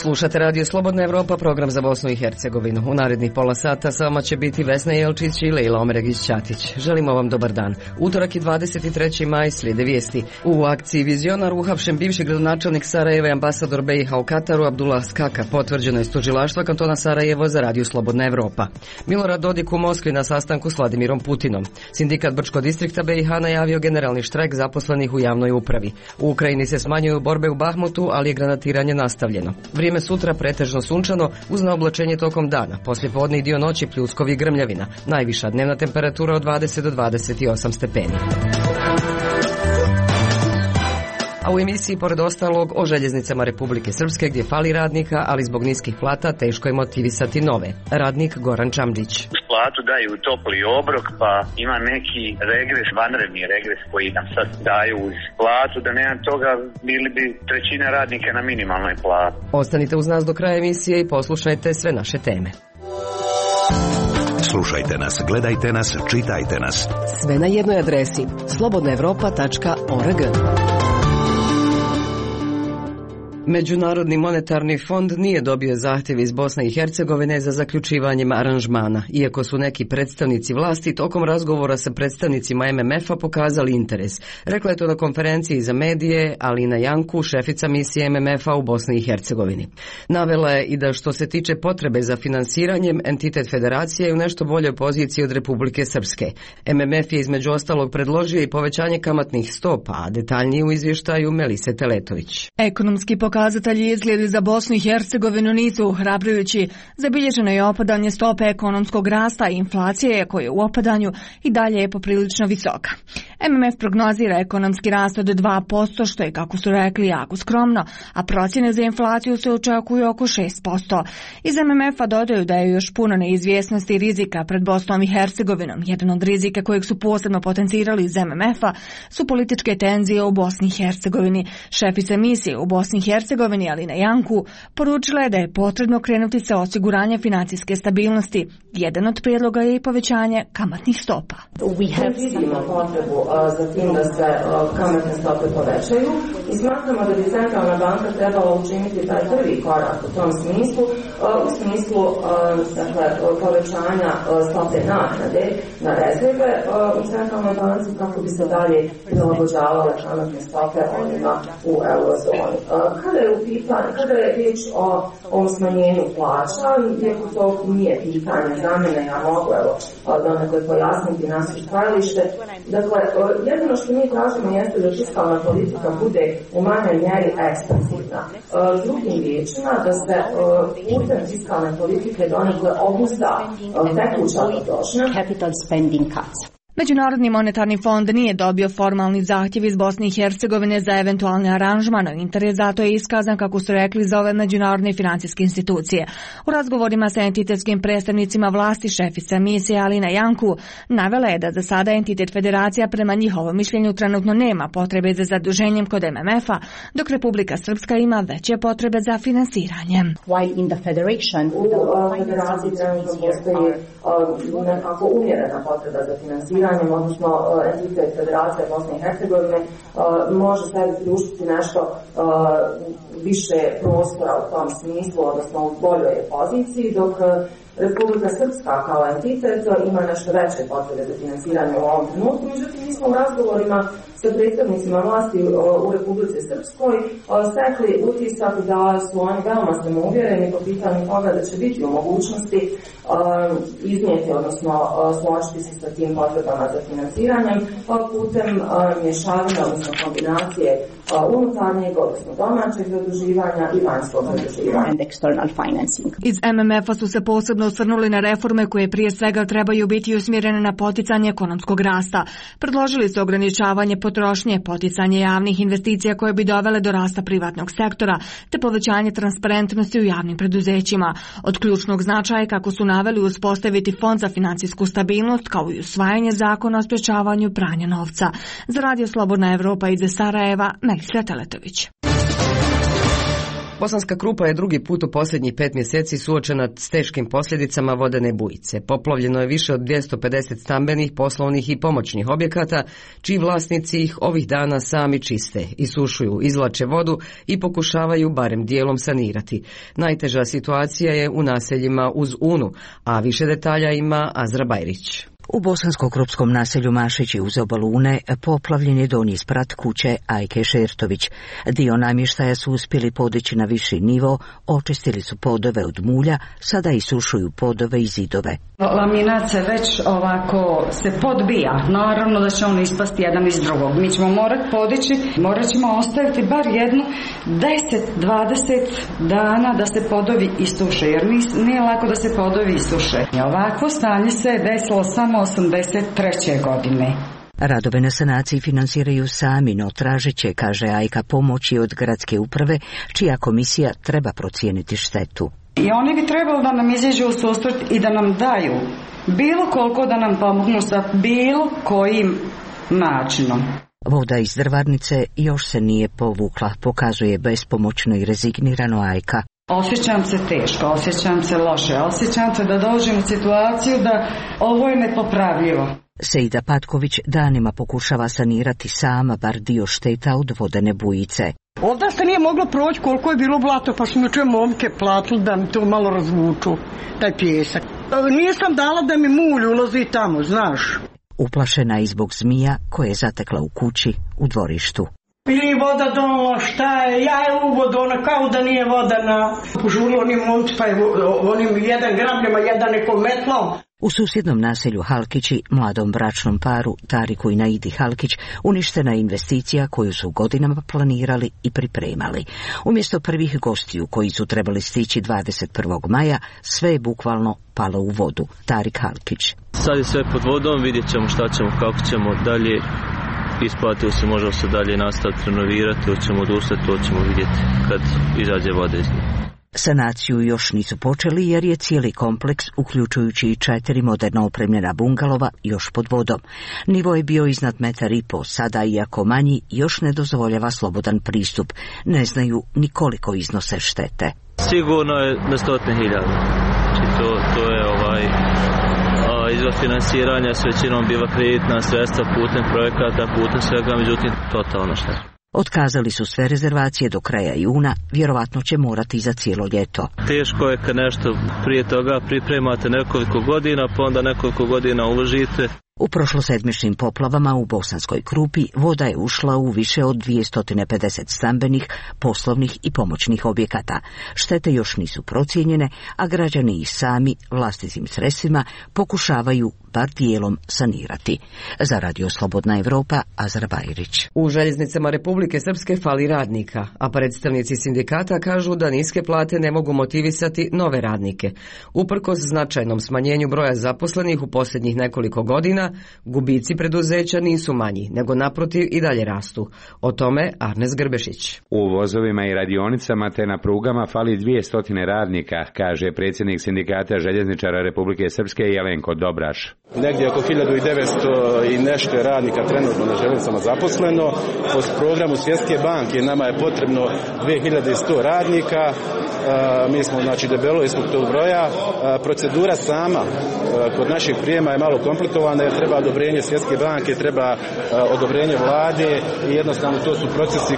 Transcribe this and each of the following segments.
Slušate Radio Slobodna Evropa, program za Bosnu i Hercegovinu. U narednih pola sata sa vama će biti Vesna Jelčić i Lejla Omeregić-Ćatić. Želimo vam dobar dan. Utorak je 23. maj, slijede vijesti. U akciji Vizionar uhapšen bivši gradonačelnik Sarajeva i ambasador BiH u Kataru Abdullah Skaka, potvrđeno iz tužilaštva kantona Sarajevo za Radio Slobodna Evropa. Milorad Dodik u Moskvi na sastanku s Vladimirom Putinom. Sindikat Brčkog distrikta BiH najavio generalni štrajk zaposlenih u javnoj upravi. U Ukrajini se smanjuju borbe u Bahmutu, ali je granatiranje nastavljeno. Vrijeme sutra pretežno sunčano uz naoblačenje tokom dana. Poslijepodne i dio noći pljuskovi i grmljavina. Najviša dnevna temperatura od 20 do 28 stepeni. A u emisiji, pored ostalog, o željeznicama Republike Srpske gdje fali radnika, ali zbog niskih plata teško je motivisati nove. Radnik Goran Čamđić. Platu daju topli obrok, pa ima neki regres, vanredni regres koji nam sad daju uz platu, da nema toga bili bi trećina radnika na minimalnoj plati. Ostanite uz nas do kraja emisije i poslušajte sve naše teme. Slušajte nas, gledajte nas, čitajte nas. Sve na jednoj adresi slobodnaevropa.org. Međunarodni monetarni fond nije dobio zahtjev iz Bosne i Hercegovine za zaključivanjem aranžmana, iako su neki predstavnici vlasti tokom razgovora sa predstavnicima MMF-a pokazali interes. Rekla je to na konferenciji za medije Alina Janku, šefica misije MMF-a u Bosni i Hercegovini. Navela je i da što se tiče potrebe za finansiranjem, entitet federacije je u nešto boljoj poziciji od Republike Srpske. MMF je između ostalog predložio i povećanje kamatnih stopa, a detaljnije u izvještaju Melise Teletović. Ekonomski pokazatelji izgledi za Bosnu i Hercegovinu nisu ohrabrujući. Zabilježeno je opadanje stope ekonomskog rasta i inflacije koja je u opadanju i dalje je poprilično visoka. MMF prognozira ekonomski rast od 2%, što je, kako su rekli, jako skromno, a procjene za inflaciju se očekuju oko 6%. Iz MMF-a dodaju da je još puno neizvjesnosti i rizika pred Bosnom i Hercegovinom. Jedan od rizika kojeg su posebno potencirali iz MMF-a su političke tenzije u Bosni i Hercegovini. Šefica misije u Bosni i Hercegovini Alina Janku poručila je da je potrebno krenuti sa osiguranjem financijske stabilnosti. Jedan od prijedloga je i povećanje kamatnih stopa. Vidimo potrebu za tim da se kamatne stope povećaju i smatramo da bi centralna banka trebala učiniti taj prvi korak u tom smislu, u smislu povećanja stope naknade na rezerve u centralnoj banci kako bi se dalje prilagođavale kamatne stope onima u eurozoni. Kada je riječ o ovom smanjenju plaća, iako to nije pitanje za mene, ja mogu donekle pojasniti naše stajalište. Dakle, jedino što mi tražimo jeste da fiskalna politika bude u manjoj mjeri ekspansivna. Drugim riječima, da se putem fiskalne politike donekle obuzda tekuća potrošnja. Capital spending cuts. Međunarodni monetarni fond nije dobio formalni zahtjev iz Bosne i Hercegovine za eventualni aranžman, a interes zato je iskazan, kako su rekli, za ove međunarodne financijske institucije. U razgovorima sa entitetskim predstavnicima vlasti šefica misije Alina Janku navela je da za sada entitet federacija prema njihovom mišljenju trenutno nema potrebe za zaduženjem kod MMF-a, dok Republika Srpska ima veće potrebe za finansiranje. While in the federation, u federaciji trenutno postoji nekako umjerena potreba za finansiranje, odnosno entitet federacije Bosne i Hercegovine može sebi priuštiti nešto više prostora u tom smislu, odnosno u boljoj poziciji, dok Republika Srpska kao entitet ima nešto veće potrebe za finansiranje u ovom trenutku. Međutim, mi smo u razgovorima sa predstavnicima vlasti u Republici Srpskoj stekli utisak da su oni veoma samouvjereni po pitanju toga da će biti u mogućnosti iznijeti, odnosno složiti se sa tim potrebama za financiranjem putem mješavanja, odnosno kombinacije unutarnjeg, odnosno domaćeg zaduživanja i vanjskog zaduživanja. Iz MMF-a su se posebno osvrnuli na reforme koje prije svega trebaju biti usmjerene na poticanje ekonomskog rasta. Predložili su ograničavanje potrošnje, poticanje javnih investicija koje bi dovele do rasta privatnog sektora, te povećanje transparentnosti u javnim preduzećima. Od ključnog značaja, kako su naveli, uspostaviti fond za financijsku stabilnost, kao i usvajanje zakona o sprječavanju pranja novca. Za Radio Slobodna Evropa iz Sarajeva, Melisa Teletović. Bosanska Krupa je drugi put u posljednjih 5 mjeseci suočena s teškim posljedicama vodene bujice. Poplavljeno je više od 250 stambenih, poslovnih i pomoćnih objekata, čiji vlasnici ih ovih dana sami čiste, isušuju, izvlače vodu i pokušavaju barem dijelom sanirati. Najteža situacija je u naseljima uz Unu, a više detalja ima Azra Bajrić. U bosansko-krupskom naselju Mašići uz obalu Une poplavljen je donji sprat kuće Ajke Šertović. Dio namještaja su uspjeli podići na viši nivo, očistili su podove od mulja, sada isušuju podove i zidove. Laminat se već ovako se podbija, naravno da će on ispasti jedan iz drugog. Mi ćemo morati podići, morat ćemo ostaviti bar jednu 10-20 dana da se podovi isuše, jer nije lako da se podovi isuše. Ovakvo stanje se je desilo samo 83. godine. Radove na sanaciji finansiraju sami, no tražeće, kaže Ajka, pomoći od gradske uprave, čija komisija treba procijeniti štetu. I oni bi trebali da nam izađu u susret i da nam daju bilo koliko, da nam pomognu sa bilo kojim načinom. Voda iz drvarnice još se nije povukla, pokazuje bespomoćno i rezignirano Ajka. Osjećam se teško, osjećam se loše, osjećam se da dođem u situaciju da ovo je nepopravljivo. Sejda Patković danima pokušava sanirati sama bar dio šteta od vodene bujice. Ovdje se nije moglo proći koliko je bilo blato, pa smo čuje momke platili da mi to malo razvuču, taj pjesak. Nisam dala da mi mulj ulazi tamo, znaš. Uplašena i zbog zmija koje je zatekla u kući u dvorištu. Ili voda donala, šta je, ja je u vodu, ona kao da nije voda na požurilo onim momci, pa je onim jedan grabljama, jedan nekom metlom. U susjednom naselju Halkići, mladom bračnom paru Tariku i Naidi Halkić, uništena je investicija koju su godinama planirali i pripremali. Umjesto prvih gostiju koji su trebali stići 21. maja, sve je bukvalno palo u vodu. Tarik Halkić. Sad je sve pod vodom, vidjet ćemo šta ćemo, kako ćemo dalje. Isplatio se, možemo se dalje nastaviti renovirati, hoćemo odustati, to ćemo vidjeti kad izađe voda iz nje. Sanaciju još nisu počeli jer je cijeli kompleks, uključujući i 4 moderno opremljena bungalova, još pod vodom. Nivo je bio iznad 1,5 m, sada iako manji, još ne dozvoljava slobodan pristup. Ne znaju ni koliko iznose štete. Sigurno je na 100.000. Znači to je izvor finansiranja s većinom biva kreditna sredstva putem projekata, putem svega, međutim totalno šteta. Otkazali su sve rezervacije do kraja juna, vjerovatno će morati za cijelo ljeto. Teško je kad nešto prije toga pripremate nekoliko godina, pa onda nekoliko godina uložite. U prošlosedmičnim poplavama u Bosanskoj Krupi voda je ušla u više od 250 stambenih, poslovnih i pomoćnih objekata. Štete još nisu procijenjene, a građani ih sami vlastitim sredstvima pokušavaju bar dijelom sanirati. Za Radio Slobodna Evropa, Azra Bajrić. U željeznicama Republike Srpske fali radnika, a predstavnici sindikata kažu da niske plate ne mogu motivisati nove radnike. Uprkos značajnom smanjenju broja zaposlenih u posljednjih nekoliko godina, gubici preduzeća nisu manji, nego naprotiv i dalje rastu. O tome Arnes Grbešić. U vozovima i radionicama te na prugama fali 200 radnika, kaže predsjednik sindikata željezničara Republike Srpske Jelenko Dobraš. Negdje oko 1900 i nešto radnika trenutno na željeznicama zaposleno. Po programu Svjetske banke nama je potrebno 2100 radnika. Mi smo debelo ispod tog broja. Procedura sama kod našeg prijema je malo komplikovana jer treba odobrenje Svjetske banke, treba odobrenje vlade i jednostavno to su procesi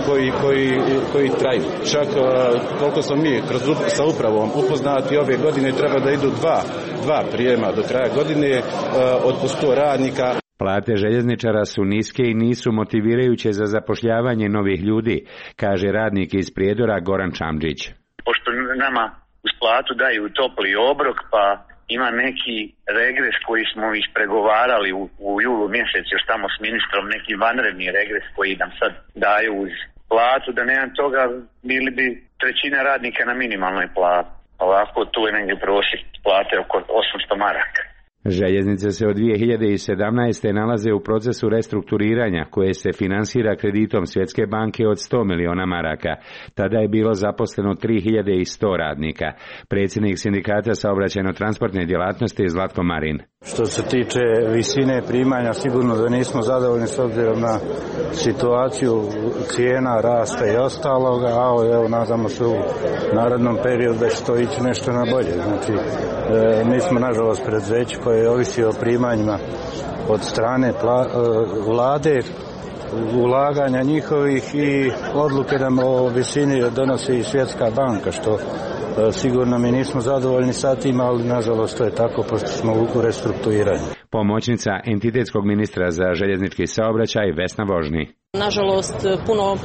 koji traju. Čak koliko smo mi sa upravom upoznati ove godine treba da idu dva prijema do kraja godine od 100 radnika. Plate željezničara su niske i nisu motivirajuće za zapošljavanje novih ljudi, kaže radnik iz Prijedora Goran Čamđić. Pošto nama uz platu daju topli obrok, pa ima neki regres koji smo ispregovarali u julu mjesecu još tamo s ministrom, neki vanredni regres koji nam sad daju uz platu, da nema toga bili bi trećina radnika na minimalnoj plati. Ovako tu je negdje prosjek plate oko 800 maraka. Željeznice se od 2017. nalaze u procesu restrukturiranja koje se finansira kreditom Svjetske banke od 100 miliona maraka. Tada je bilo zaposleno 3100 radnika. Predsjednik sindikata saobraćajno-transportne djelatnosti Zlatko Marin. Što se tiče visine primanja, sigurno da nismo zadovoljni s obzirom na situaciju cijena, rasta i ostaloga, a evo nadamo se u narednom periodu da će to ići nešto na bolje. Znači, mi smo nažalost preduzeće koje ovisi o primanjima od strane vlade, ulaganja njihovih i odluke nam o visini donosi i Svjetska banka, što sigurno mi nismo zadovoljni sa tim, ali nažalost to je tako pošto smo u restrukturiranju. Pomoćnica entitetskog ministra za željeznički saobraćaj Vesna Vožni. Nažalost, puno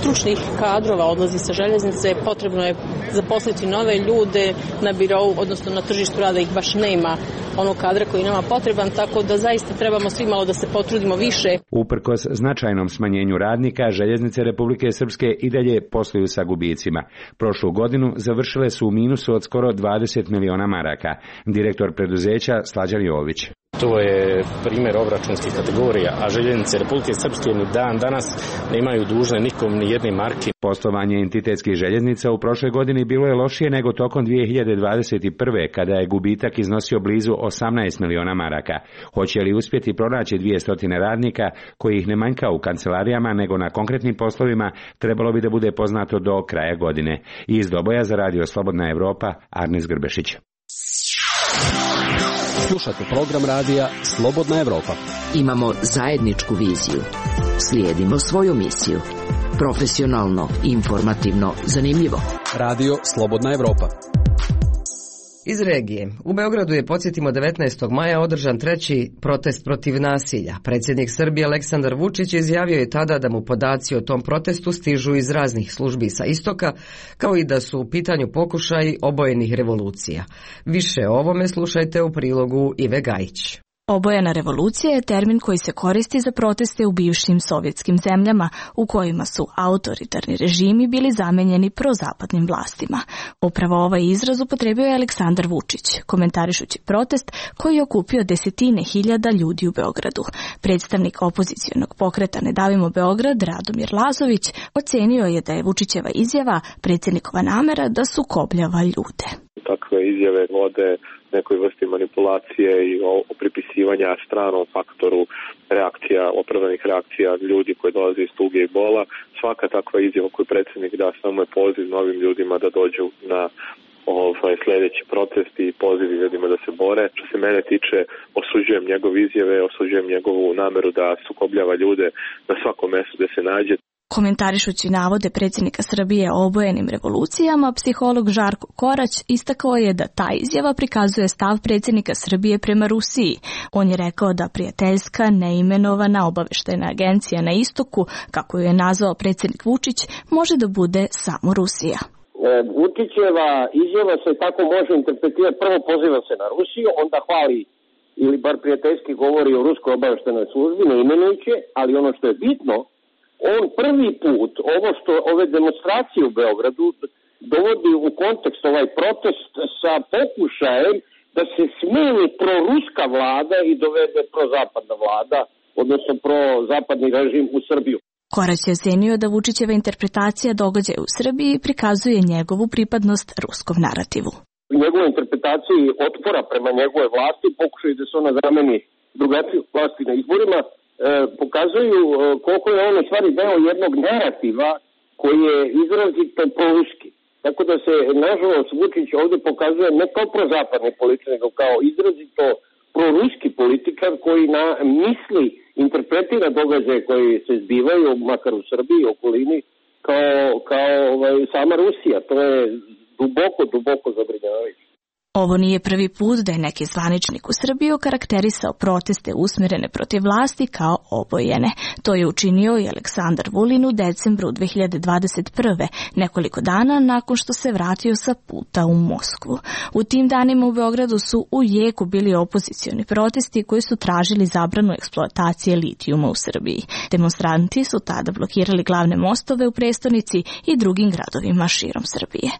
stručnih kadrova odlazi sa željeznice, potrebno je zaposliti nove ljude na birou, odnosno na tržištu rada ih baš nema onog kadra koji nama potreban, tako da zaista trebamo svi malo da se potrudimo više. Uprkos značajnom smanjenju radnika, željeznice Republike Srpske i dalje posluju sa gubicima. Prošlu godinu završile su u minusu od skoro 20 miliona maraka. Direktor preduzeća Slađan Jović. To je primjer obračunskih kategorija, a željeznice Republike Srpske ni dan danas ne imaju dužne nikom ni jedne marke. Poslovanje entitetskih željeznica u prošloj godini bilo je lošije nego tokom 2021. kada je gubitak iznosio blizu 18 miliona maraka. Hoće li uspjeti pronaći 200 radnika kojih ne manjka u kancelarijama nego na konkretnim poslovima, trebalo bi da bude poznato do kraja godine. Iz Doboja za Radio Slobodna Evropa, Arnis Grbešić. Slušate program radija Slobodna Evropa. Imamo zajedničku viziju. Slijedimo svoju misiju. Profesionalno, informativno, zanimljivo. Radio Slobodna Evropa. Iz regije. U Beogradu je, podsjetimo, 19. maja održan treći protest protiv nasilja. Predsjednik Srbije Aleksandar Vučić izjavio je tada da mu podaci o tom protestu stižu iz raznih službi sa istoka, kao i da su u pitanju pokušaji obojenih revolucija. Više o ovome slušajte u prilogu Ive Gajić. Obojena revolucija je termin koji se koristi za proteste u bivšim sovjetskim zemljama u kojima su autoritarni režimi bili zamenjeni prozapadnim vlastima. Upravo ovaj izraz upotrebio je Aleksandar Vučić, komentarišući protest koji je okupio desetine hiljada ljudi u Beogradu. Predstavnik opozicionog pokreta Ne davimo Beograd, Radomir Lazović, ocenio je da je Vučićeva izjava predsjednikova namera da sukobljava ljude. Takve izjave vode nekoj vrsti manipulacije i pripisivanja stranom faktoru reakcija, opravdanih reakcija ljudi koji dolaze iz tuge i bola. Svaka takva izjava koju predsjednik da samo je poziv novim ljudima da dođu na sljedeći protest i poziv ljudima da se bore. Što se mene tiče, osuđujem njegove izjave, osuđujem njegovu nameru da sukobljava ljude na svakom mjestu gdje se nađe. Komentarišući navode predsjednika Srbije o obojenim revolucijama, psiholog Žarko Korać istakao je da ta izjava prikazuje stav predsjednika Srbije prema Rusiji. On je rekao da prijateljska, neimenovana obavještajna agencija na istoku, kako ju je nazvao predsjednik Vučić, može da bude samo Rusija. Vučićeva izjava se tako može interpretirati. Prvo poziva se na Rusiju, onda hvali ili bar prijateljski govori o ruskoj obavještajnoj službi, ne imenujući, ali ono što je bitno, on prvi put ove demonstracije u Beogradu dovodi u kontekst ovaj protest sa pokušajem da se smeni proruska vlada i dovede prozapadna vlada, odnosno prozapadni režim u Srbiju. Korać je ocenio da Vučićeva interpretacija događaja u Srbiji prikazuje njegovu pripadnost ruskom narativu. U njegovoj interpretaciji otpora prema njegove vlasti, pokušaju da se ona zameni drugačiju vlasti na izborima, pokazuju koliko je on u stvari deo jednog narativa koji je izrazito proruski. Tako da se, nažalost, Vučić ovdje pokazuje ne kao prozapadni političar, nego kao izrazito proruski političar koji misli, interpretira događaje koji se zbivaju, makar u Srbiji i okolini, kao sama Rusija. To je duboko zabrinjavajuće. Ovo nije prvi put da je neki zvaničnik u Srbiji okarakterisao proteste usmjerene protiv vlasti kao obojene. To je učinio i Aleksandar Vulin u decembru 2021. nekoliko dana nakon što se vratio sa puta u Moskvu. U tim danima u Beogradu su u jeku bili opozicioni protesti koji su tražili zabranu eksploatacije litijuma u Srbiji. Demonstranti su tada blokirali glavne mostove u prestonici i drugim gradovima širom Srbije.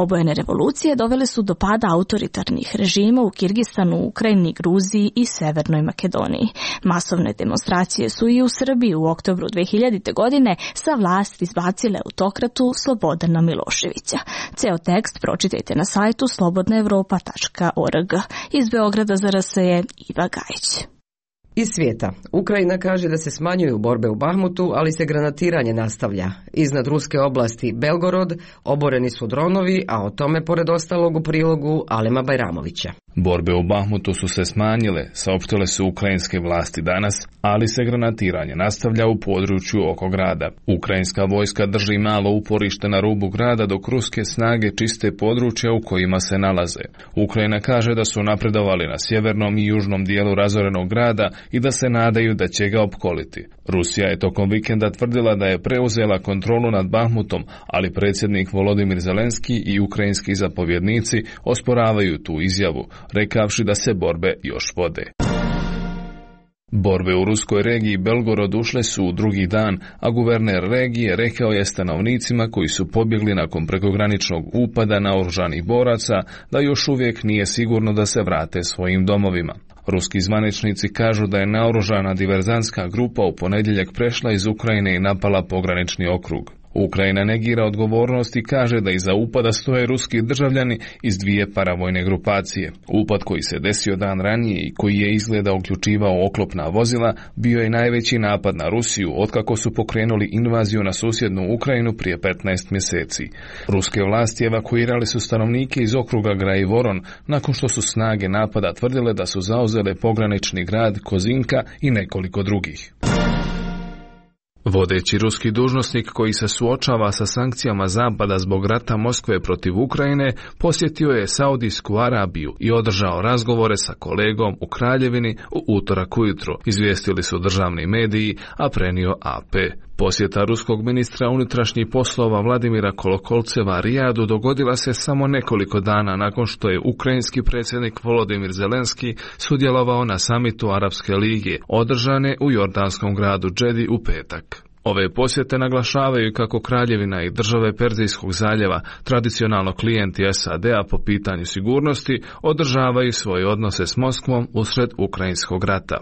Obojene revolucije dovele su do pada autoritarnih autoritarnih režima u Kirgistanu, Ukrajini, Gruziji i Severnoj Makedoniji. Masovne demonstracije su i u Srbiji u oktobru 2000. godine sa vlasti izbacile autokratu Slobodana Miloševića. Ceo tekst pročitajte na sajtu slobodnaevropa.org. Iz Beograda za RS je Iva Gajić. Iz svijeta. Ukrajina kaže da se smanjuju borbe u Bahmutu, ali se granatiranje nastavlja. Iznad ruske oblasti Belgorod oboreni su dronovi, a o tome pored ostalog u prilogu Alema Bajramovića. Borbe u Bahmutu su se smanjile, saopštile su ukrajinske vlasti danas, ali se granatiranje nastavlja u području oko grada. Ukrajinska vojska drži malo uporište na rubu grada dok ruske snage čiste područja u kojima se nalaze. Ukrajina kaže da su napredovali na sjevernom i južnom dijelu razorenog grada i da se nadaju da će ga opkoliti. Rusija je tokom vikenda tvrdila da je preuzela kontrolu nad Bahmutom, ali predsjednik Volodimir Zelenski i ukrajinski zapovjednici osporavaju tu izjavu, rekavši da se borbe još vode. Borbe u ruskoj regiji Belgorod ušle su u drugi dan, a guverner regije rekao je stanovnicima koji su pobjegli nakon prekograničnog upada naoružanih boraca da još uvijek nije sigurno da se vrate svojim domovima. Ruski zvaničnici kažu da je naoružana diverzantska grupa u ponedjeljak prešla iz Ukrajine i napala pogranični okrug. Ukrajina negira odgovornost i kaže da iza upada stoje ruski državljani iz dvije paravojne grupacije. Upad koji se desio dan ranije i koji je izgleda uključivao oklopna vozila bio je najveći napad na Rusiju otkako su pokrenuli invaziju na susjednu Ukrajinu prije 15 mjeseci. Ruske vlasti evakuirali su stanovnike iz okruga Graivoron nakon što su snage napada tvrdile da su zauzele pogranični grad Kozinka i nekoliko drugih. Vodeći ruski dužnosnik koji se suočava sa sankcijama Zapada zbog rata Moskve protiv Ukrajine posjetio je Saudijsku Arabiju i održao razgovore sa kolegom u Kraljevini u utorak ujutro, izvijestili su državni mediji, a prenio AP. Posjeta ruskog ministra unutrašnjih poslova Vladimira Kolokolceva Rijadu dogodila se samo nekoliko dana nakon što je ukrajinski predsjednik Volodimir Zelenski sudjelovao na samitu Arapske lige, održane u jordanskom gradu Džedi u petak. Ove posjete naglašavaju kako Kraljevina i države Perzijskog zaljeva, tradicionalno klijenti SAD-a po pitanju sigurnosti, održavaju svoje odnose s Moskvom usred ukrajinskog rata.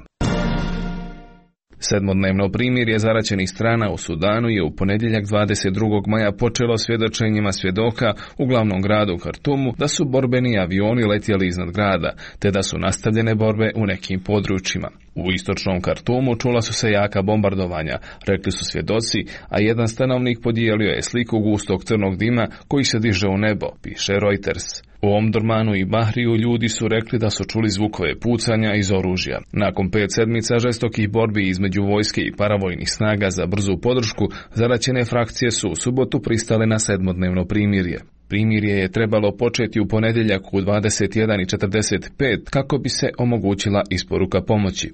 Sedmodnevno primirje zaraćenih strana u Sudanu je u ponedjeljak 22. maja počelo svjedočenjima svjedoka u glavnom gradu Kartumu da su borbeni avioni letjeli iznad grada, te da su nastavljene borbe u nekim područjima. U istočnom Kartumu čula su se jaka bombardovanja, rekli su svjedoci, a jedan stanovnik podijelio je sliku gustog crnog dima koji se diže u nebo, piše Reuters. U Omdurmanu i Bahriju ljudi su rekli da su čuli zvukove pucanja iz oružja. Nakon 5 sedmica žestokih borbi između vojske i paravojnih snaga za brzu podršku, zaraćene frakcije su u subotu pristale na sedmodnevno primirje. Primirje je trebalo početi u ponedjeljak u 21:45 kako bi se omogućila isporuka pomoći.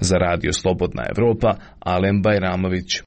Za radio Slobodna Evropa, Alem Bajramović.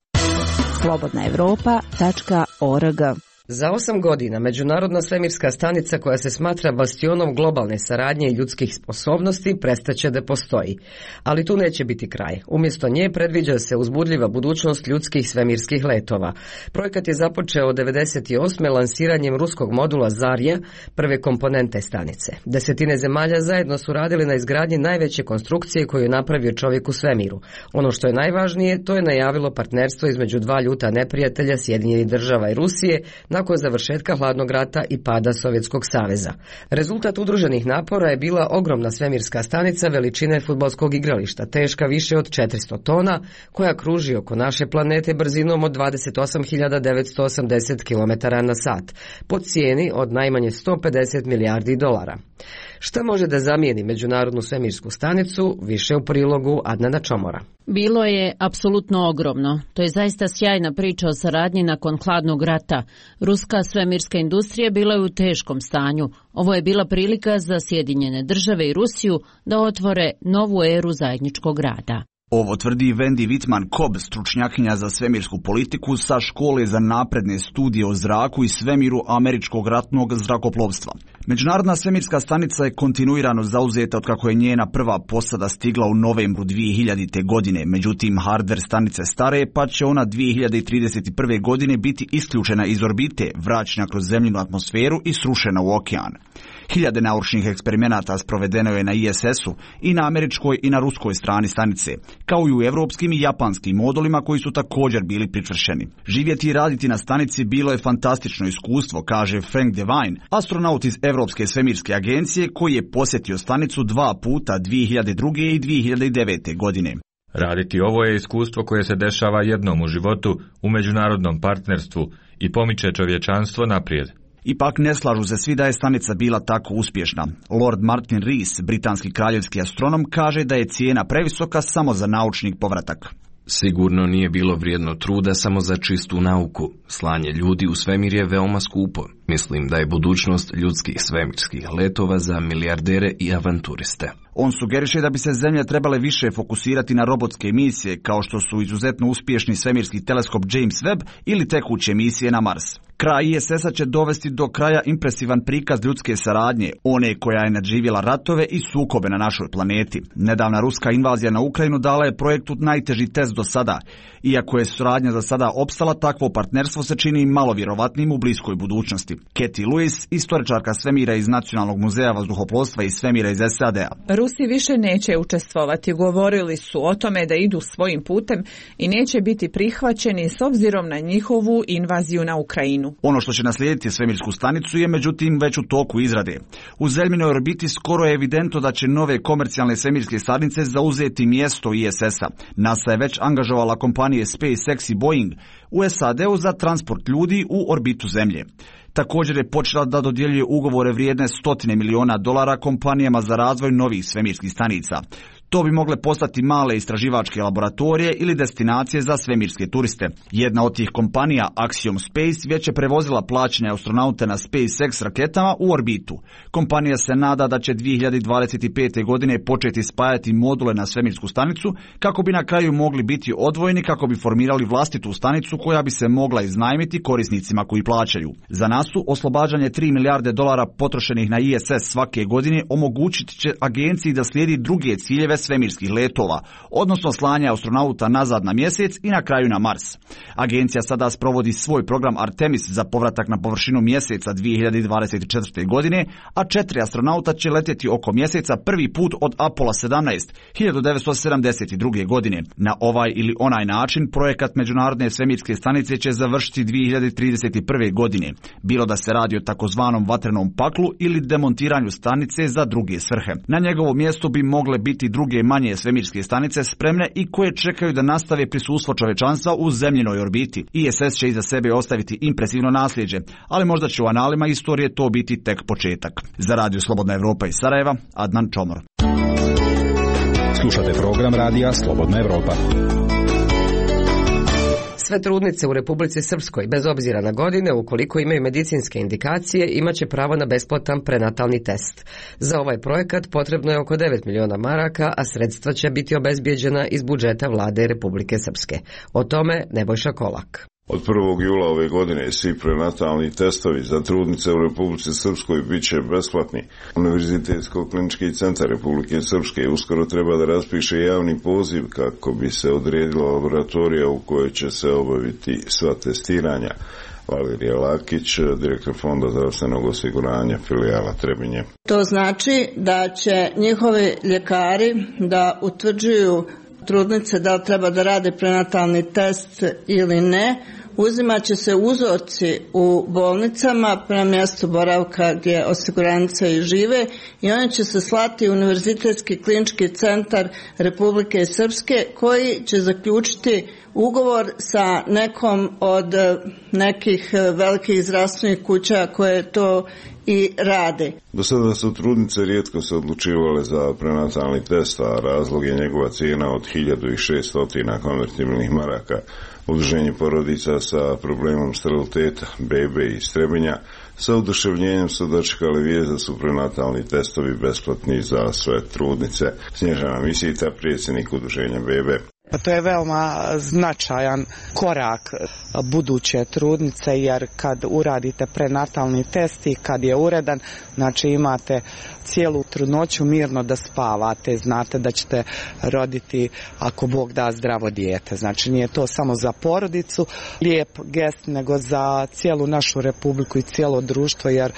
slobodnaevropa.org. Za 8 godina Međunarodna svemirska stanica koja se smatra bastionom globalne saradnje i ljudskih sposobnosti prestaće da postoji. Ali tu neće biti kraj. Umjesto nje predviđa se uzbudljiva budućnost ljudskih svemirskih letova. Projekat je započeo 1998. lansiranjem ruskog modula Zarja, prve komponente stanice. 10 zemalja zajedno su radili na izgradnji najveće konstrukcije koju je napravio čovjek u svemiru. Ono što je najvažnije, to je najavilo partnerstvo između dva ljuta neprijatelja, Sjedinjenih Država i Rusije, nakon završetka hladnog rata i pada Sovjetskog saveza. Rezultat udruženih napora je bila ogromna svemirska stanica veličine fudbalskog igrališta, teška više od 400 tona, koja kruži oko naše planete brzinom od 28.980 km/h, po cijeni od najmanje 150 milijardi dolara. Šta može da zamijeni Međunarodnu svemirsku stanicu, više u prilogu Adnana Čomora. Bilo je apsolutno ogromno. To je zaista sjajna priča o saradnji nakon hladnog rata. Ruska svemirska industrija bila je u teškom stanju. Ovo je bila prilika za Sjedinjene Države i Rusiju da otvore novu eru zajedničkog rada. Ovo tvrdi Wendy Wittmann-Kobb, stručnjakinja za svemirsku politiku sa škole za napredne studije o zraku i svemiru američkog ratnog zrakoplovstva. Međunarodna svemirska stanica je kontinuirano zauzeta otkako je njena prva posada stigla u novembru 2000. godine. Međutim, hardver stanice stare, pa će ona 2031. godine biti isključena iz orbite, vraćena kroz zemljinu atmosferu i srušena u okean. Hiljade naučnih eksperimenata sprovedeno je na ISS-u i na američkoj i na ruskoj strani stanice, kao i u evropskim i japanskim modulima koji su također bili pričvršeni. Živjeti i raditi na stanici bilo je fantastično iskustvo, kaže Frank Devine, astronaut iz Evropske svemirske agencije koji je posjetio stanicu 2 puta 2002. i 2009. godine. Raditi ovo je iskustvo koje se dešava jednom u životu u međunarodnom partnerstvu i pomiče čovječanstvo naprijed. Ipak ne slažu se svi da je stanica bila tako uspješna. Lord Martin Rees, britanski kraljevski astronom, kaže da je cijena previsoka samo za naučni povratak. Sigurno nije bilo vrijedno truda samo za čistu nauku. Slanje ljudi u svemir je veoma skupo. Mislim da je budućnost ljudskih svemirskih letova za milijardere i avanturiste. On sugeriše da bi se zemlje trebale više fokusirati na robotske misije, kao što su izuzetno uspješni svemirski teleskop James Webb ili tekuće misije na Mars. Kraj ISS-a će dovesti do kraja impresivan prikaz ljudske saradnje, one koja je nadživjela ratove i sukobe na našoj planeti. Nedavna ruska invazija na Ukrajinu dala je projektu najteži test do sada. Iako je suradnja za sada opstala, takvo partnerstvo se čini malo vjerovatnim u bliskoj budućnosti. Katie Lewis, istoričarka svemira iz Nacionalnog muzeja vazduhoplovstva i svemira iz SAD-a. Rusi više neće učestvovati. Govorili su o tome da idu svojim putem i neće biti prihvaćeni s obzirom na njihovu invaziju na Ukrajinu. Ono što će naslijediti svemirsku stanicu je međutim već u toku izrade. U zemljinoj orbiti skoro je evidentno da će nove komercijalne svemirske stanice zauzeti mjesto ISS-a. NASA je već angažovala kompanije SpaceX i Boeing u SAD-u za transport ljudi u orbitu Zemlje. Također je počela da dodjeljuje ugovore vrijedne $100 miliona kompanijama za razvoj novih svemirskih stanica. To bi mogle postati male istraživačke laboratorije ili destinacije za svemirske turiste. Jedna od tih kompanija, Axiom Space, već je prevozila plaćanja astronaute na SpaceX raketama u orbitu. Kompanija se nada da će 2025. godine početi spajati module na svemirsku stanicu kako bi na kraju mogli biti odvojeni kako bi formirali vlastitu stanicu koja bi se mogla iznajmiti korisnicima koji plaćaju. Za NASA oslobađanje $3 milijarde potrošenih na ISS svake godine omogućit će agenciji da slijedi druge ciljeve svemirskih letova, odnosno slanja astronauta nazad na mjesec i na kraju na Mars. Agencija sada sprovodi svoj program Artemis za povratak na površinu mjeseca 2024. godine, a 4 astronauta će letjeti oko mjeseca prvi put od Apollo 17 1972. godine. Na ovaj ili onaj način projekat Međunarodne svemirske stanice će završiti 2031. godine, bilo da se radi o takozvanom vatrenom paklu ili demontiranju stanice za druge svrhe. Na njegovo mjesto bi mogle biti druge manje svemirske stanice spremne i koje čekaju da nastave prisustvo čovečanstva u zemljinoj orbiti. ISS će iza sebe ostaviti impresivno nasljeđe, ali možda će u analima istorije to biti tek početak. Za Radio Slobodna Evropa iz Sarajeva, Adnan Čomor. Slušate program Radija Slobodna Evropa. Sve trudnice u Republici Srpskoj, bez obzira na godine, ukoliko imaju medicinske indikacije, imat će pravo na besplatan prenatalni test. Za ovaj projekat potrebno je oko 9 miliona maraka, a sredstva će biti obezbijeđena iz budžeta vlade Republike Srpske. O tome Nebojša Kolak. Od 1. jula ove godine svi prenatalni testovi za trudnice u Republici Srpskoj bit će besplatni. Univerzitetsko-klinički centar Republike Srpske uskoro treba da raspiše javni poziv kako bi se odredila laboratorija u kojoj će se obaviti sva testiranja. Valerija Lakić, direktor Fonda zdravstvenog osiguranja filijala Trebinje. To znači da će njihovi ljekari da utvrđuju trudnice da li treba da rade prenatalni test ili ne. Uzimat će se uzorci u bolnicama prema mjestu boravka gdje osiguranice i žive i oni će se slati u Univerzitetski klinički centar Republike Srpske koji će zaključiti ugovor sa nekom od nekih velikih zdravstvenih kuća koje to i rade. Do sada su trudnice rijetko se odlučivale za prenatalni test, a razlog je njegova cijena od 1600 konvertibilnih maraka. Udruženje porodica sa problemom steriliteta, bebe i Trebinja, sa oduševljenjem su dočekali vijest da su prenatalni testovi besplatni za sve trudnice. Snježana Misita, predsjednik Udruženja bebe. Pa to je veoma značajan korak buduće trudnice, jer kad uradite prenatalni test i kad je uredan, znači imate cijelu trudnoću mirno da spavate, znate da ćete roditi, ako Bog da, zdravo dijete. Znači nije to samo za porodicu lijep gest, nego za cijelu našu republiku i cijelo društvo, jer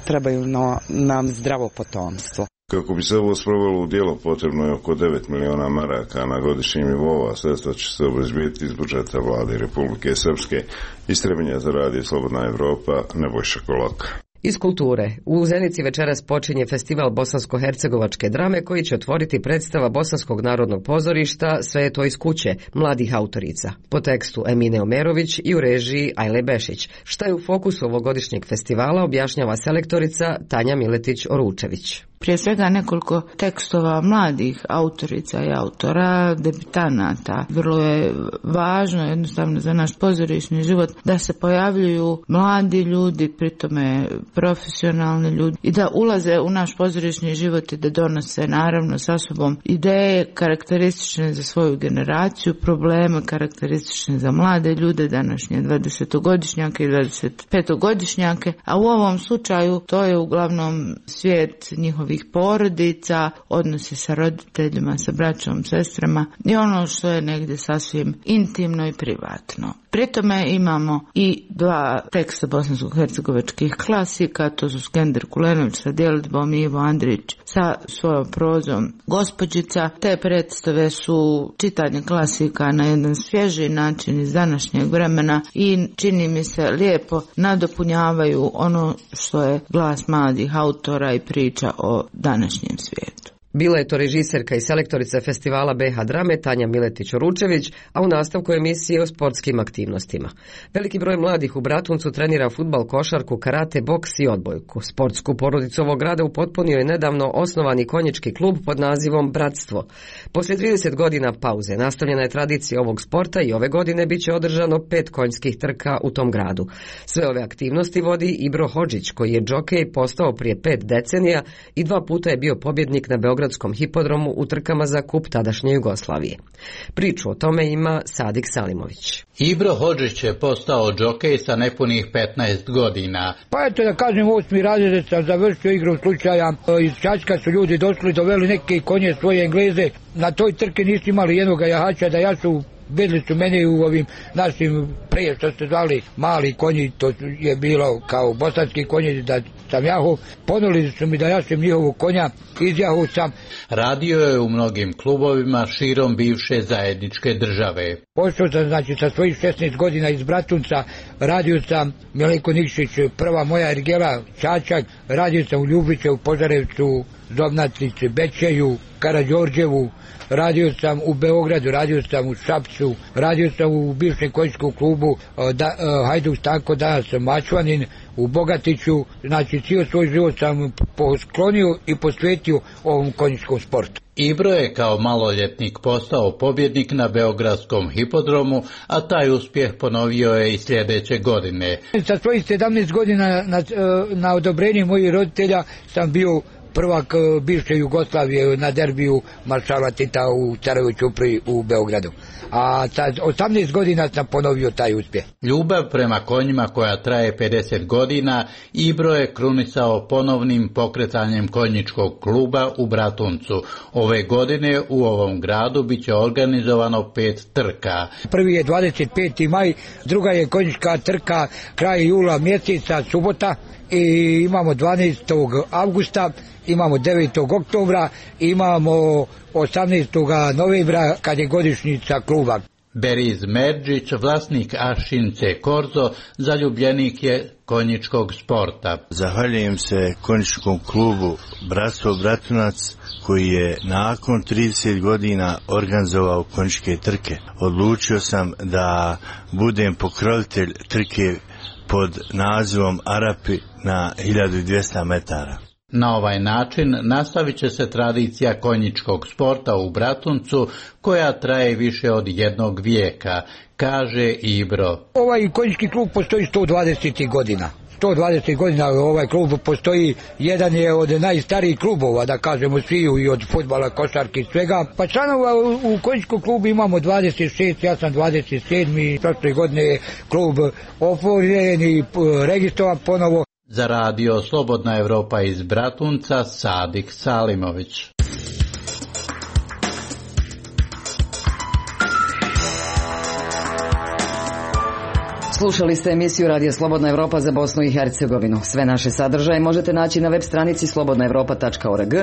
trebaju nam zdravo potomstvo. Kako bi se ovo sprovelo u djelo, potrebno je oko 9 miliona maraka na godišnjem nivou, a sredstva će se obezbijediti iz budžeta vlade Republike Srpske. Iz Trebinja za radio Slobodna Evropa, Nebojša Kolaka. Iz kulture. U Zenici večeras počinje festival bosansko-hercegovačke drame koji će otvoriti predstava Bosanskog narodnog pozorišta Sve je to iz kuće, mladih autorica, po tekstu Emine Omerović i u režiji Ajle Bešić. Šta je u fokusu ovogodišnjeg festivala objašnjava selektorica Tanja Miletić-Oručević. Prije svega nekoliko tekstova mladih autorica i autora, debitanata. Vrlo je važno jednostavno za naš pozorišni život da se pojavljuju mladi ljudi, pritome profesionalni ljudi, i da ulaze u naš pozorišni život i da donose naravno sa sobom ideje karakteristične za svoju generaciju, probleme karakteristične za mlade ljude, današnje 20-godišnjake i 25-godišnjake, a u ovom slučaju to je uglavnom svijet njihovih porodica, odnose sa roditeljima, sa braćom, sestrama i ono što je negdje sasvim intimno i privatno. Pri tome imamo i dva teksta bosansko-hercegovačkih klasika, to su Skender Kulenović sa djelitbom i Ivo Andrić sa svojom prozom Gospođica. Te predstave su čitanje klasika na jedan svježi način iz današnjeg vremena i čini mi se lijepo nadopunjavaju ono što je glas mladih autora i priča o današnjem svijetu. Bila je to režiserka i selektorica festivala BH Drame Tanja Miletić-Oručević, a u nastavku emisije o sportskim aktivnostima. Veliki broj mladih u Bratuncu trenira fudbal, košarku, karate, boks i odbojku. Sportsku porodicu ovog grada upotpunio je nedavno osnovani konjički klub pod nazivom Bratstvo. Poslije 30 godina pauze nastavljena je tradicija ovog sporta i ove godine bit će održano 5 konjskih trka u tom gradu. Sve ove aktivnosti vodi Ibro Hodžić, koji je džokej postao prije 5 decenija i 2 puta je bio pobjednik na Beogradskom hipodromu u trkama za kup tadašnje Jugoslavije. Priču o tome ima Sadik Salimović. Ibro Hodžić je postao džokej sa nepunih 15 godina. Pa eto da kažem, 8. razred sam završio igrom slučaja. Iz Čačka su ljudi došli, doveli neke konje svoje Engleze. Na toj trke nisu imali jednoga jahača da jašu. Vidjeli su mene u ovim našim, prije što ste zvali mali konji, to je bilo kao bosanski konji, da sam jahao. Ponuli su mi da jašem njihovog konja, izjahao sam. Radio je u mnogim klubovima širom bivše zajedničke države. Pošao sam, znači, sa svojih 16 godina iz Bratunca, radio sam Milenko Nikšić, prva moja ergela, Čačak, radio sam u Ljubiće, u Požarevcu, Zobnatici, Bečeju, Karađorđevu, radio sam u Beogradu, radio sam u Šapcu, radio sam u bivšem konjičkom klubu Hajduk Stanko, danas sam Mačvanin, u Bogatiću. Znači, cijel svoj život sam posklonio i posvetio ovom konjičkom sportu. Ibro je kao maloljetnik postao pobjednik na Beogradskom hipodromu, a taj uspjeh ponovio je i sljedeće godine. Sa svojih 17 godina na odobrenje mojih roditelja sam bio prvak bivše Jugoslavije na derbiju maršala Tita u Carovoj Ćupriji u Beogradu. A sa 18 godina sam ponovio taj uspjeh. Ljubav prema konjima koja traje 50 godina, Ibro je krunisao ponovnim pokretanjem konjičkog kluba u Bratuncu. Ove godine u ovom gradu bit će organizovano 5 trka. Prvi je 25. maj, druga je konjička trka kraj jula mjeseca, subota, i imamo 12. avgusta, imamo 9. oktobra, imamo 18. novembra kad je godišnjica kluba. Beriz Merđić, vlasnik Ašince Korzo, zaljubljenik je konjičkog sporta. Zahvaljujem se konjičkom klubu Bratstvo Bratunac koji je nakon 30 godina organizovao konjičke trke. Odlučio sam da budem pokrovitelj trke pod nazivom Arapi na 1200 metara. Na ovaj način nastavit će se tradicija konjičkog sporta u Bratuncu koja traje više od 1 vijeka, kaže Ibro. Ovaj konjički klub postoji 120 godina. 120 godina ovaj klub postoji, jedan je od najstarijih klubova, da kažemo sviju, i od fudbala, košarke i svega. Pa članova u konjičkom klubu imamo 26, ja sam 27. Prošle godine je klub otvoren i registrovan ponovo. Za radio Slobodna Evropa iz Bratunca, Sadik Salimović. Slušali ste emisiju Radija Slobodna Evropa za Bosnu i Hercegovinu. Sve naše sadržaje možete naći na web stranici slobodnaevropa.org,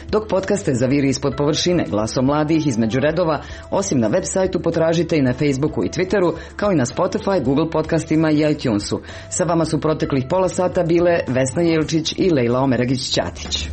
dok podcaste za Viri ispod površine, Glasom mladih, Između redova, osim na web sajtu potražite i na Facebooku i Twitteru, kao i na Spotify, Google podcastima i iTunesu. Sa vama su proteklih pola sata bile Vesna Jelčić i Lejla Omeragić-Ćatić.